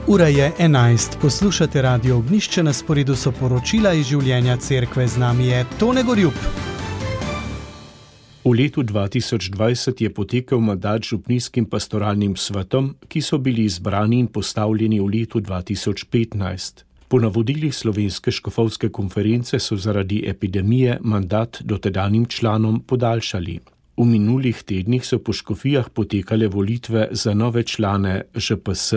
Ura je 11, poslušate Radio Ognjišče, na sporedu so poročila iz življenja cerkve, z nami je Tone Gorjup. V letu 2020 je potekel mandat župnijskim pastoralnim svetom, ki so bili izbrani in postavljeni v letu 2015. Po navodilih Slovenske škofovske konference so zaradi epidemije mandat dotedanjim članom podaljšali. V minulih tednih so po škofijah potekale volitve za nove člane ŽPS.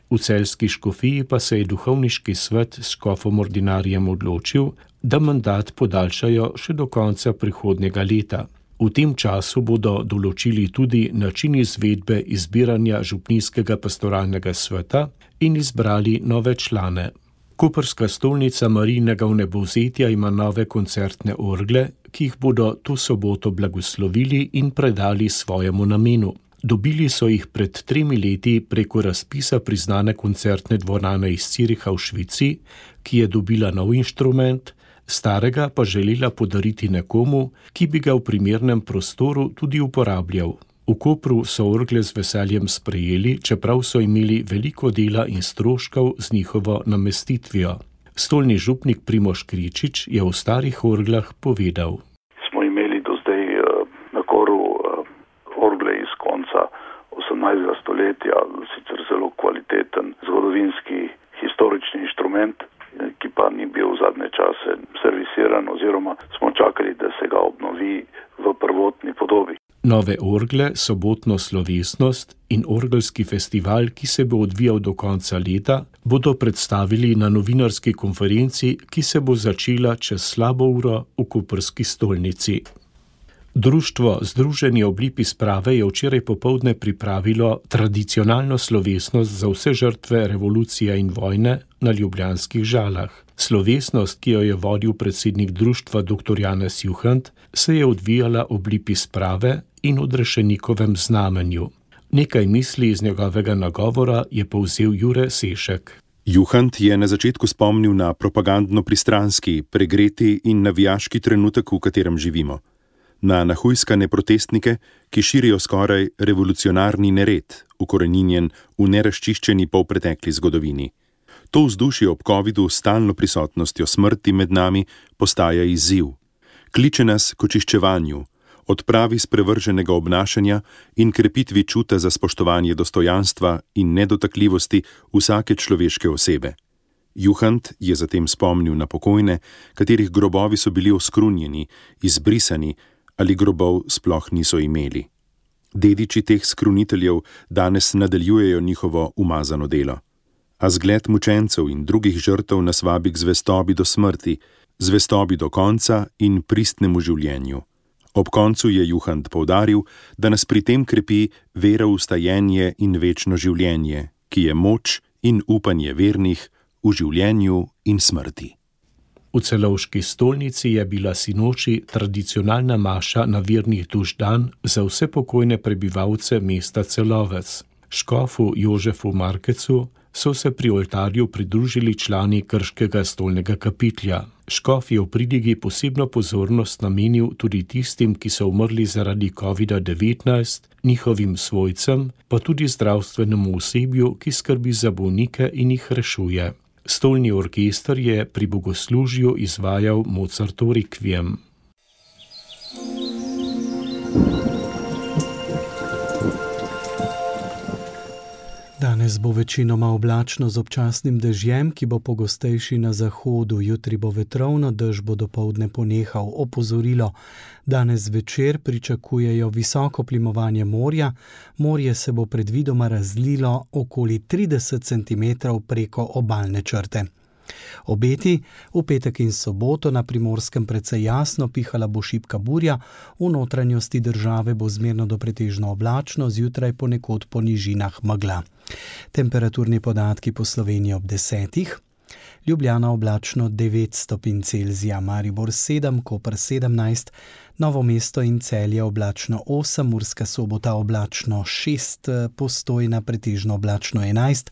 V celjski škofiji pa se je duhovniški svet s škofom ordinarjem odločil, da mandat podaljšajo še do konca prihodnjega leta. V tem času bodo določili tudi način izvedbe izbiranja župnijskega pastoralnega sveta in izbrali nove člane. Koprska stolnica Marijinega vnebovzetja ima nove koncertne orgle, ki jih bodo to soboto blagoslovili in predali svojemu namenu. Dobili so jih pred 3 leti preko razpisa priznane koncertne dvorane iz Ciriha v Švici, ki je dobila nov inštrument, starega pa želela podariti nekomu, ki bi ga v primernem prostoru tudi uporabljal. V Kopru so orgle z veseljem sprejeli, čeprav so imeli veliko dela in stroškov z njihovo namestitvijo. Stolni župnik Primož Kričič je o starih orglah povedal. Smo imeli do zdaj na Koru orgle iz konca 18. stoletja, sicer zelo kvaliteten zgodovinski historični inštrument, ki pa ni bil v zadnje čase servisiran oziroma smo čakali, da se ga obnovi v prvotni podobi. Nove orgle, sobotno slovesnost in orgelski festival, ki se bo odvijal do konca leta, bodo predstavili na novinarski konferenci, ki se bo začela čez slabo uro v koprski stolnici. Društvo Združenje ob lipi sprave je včeraj popoldne pripravilo tradicionalno slovesnost za vse žrtve revolucije in vojne na ljubljanskih Žalah. Slovesnost, ki jo je vodil predsednik društva dr. Janez Juhant, se je odvijala ob lipi sprave in odrešenikovem znamenju. Nekaj misli iz njegovega nagovora je povzel Jure Sešek. Juhant je na začetku spomnil na propagandno pristranski, pregreti in navijaški trenutek, v katerem živimo. Na nahujskane protestnike, ki širijo skoraj revolucionarni nered, ukoreninjen v nerazčiščeni polpretekli zgodovini. To vzdušje ob covidu s stalno prisotnostjo smrti med nami postaja izziv. Kliče nas k očiščevanju, odpravi sprevrženega obnašanja in krepitvi čuta za spoštovanje dostojanstva in nedotakljivosti vsake človeške osebe. Juhant je zatem spomnil na pokojne, katerih grobovi so bili oskrunjeni, izbrisani ali grobov sploh niso imeli. Dediči teh skruniteljev danes nadaljujejo njihovo umazano delo. A zgled mučencev in drugih žrtev nas vabi k zvestobi do smrti, zvestobi do konca in pristnemu življenju. Ob koncu je Juhant poudaril, da nas pri tem krepi vera v vstajenje in večno življenje, ki je moč in upanje vernih v življenju in smrti. V Celovški stolnici je bila sinoči tradicionalna maša na virnih duš dan za vse pokojne prebivalce mesta Celovec. Škofu Jožefu Markecu so se pri oltarju pridružili člani krškega stolnega kapitlja. Škof je v pridigi posebno pozornost namenil tudi tistim, ki so umrli zaradi COVID-19, njihovim svojcem, pa tudi zdravstvenemu osebju, ki skrbi za bolnike in jih rešuje. Stolni orkester je pri bogoslužju izvajal Mozartov rekviem. Danes bo večinoma oblačno z občasnim dežjem, ki bo pogostejši na zahodu. Jutri bo vetrovno, dež bo dopoldne ponehal. Opozorilo: danes zvečer pričakujejo visoko plimovanje morja. Morje se bo predvidoma razlilo okoli 30 cm preko obalne črte. Obeti: v petek in soboto na Primorskem precej jasno, pihala bo šibka burja, v notranjosti države bo zmerno do pretežno oblačno, zjutraj ponekod po nižinah megla. Temperaturni podatki po Sloveniji ob 10. Ljubljana oblačno 9 stopinj Celzija, Maribor 7, Koper 17, Novo mesto in Celje oblačno 8, Murska Sobota oblačno 6, Postojna pretežno oblačno 11,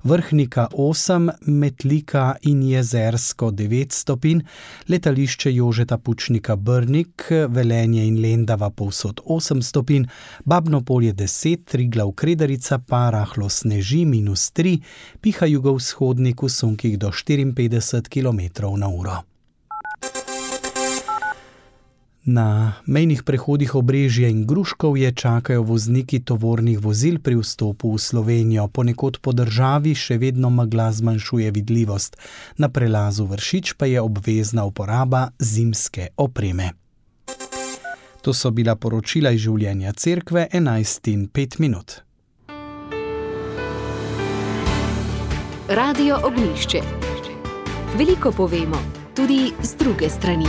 Vrhnika 8, Metlika in Jezersko 9 stopinj, letališče Jožeta Pučnika Brnik, Velenje in Lendava povsod 8 stopinj, Babno Polje 10, Triglav Kredarica pa rahlo sneži -3, piha jugovzhodnik v sunkih do 54 km/h. Na mejnih prehodih Obrežje in Gruškovje čakajo vozniki tovornih vozil pri vstopu v Slovenijo. Ponekod po državi še vedno megla zmanjšuje vidljivost. Na prelazu Vršič pa je obvezna uporaba zimske opreme. To so bila poročila iz življenja cerkve 11:05. Radio Ognjišče. Veliko povemo, tudi z druge strani.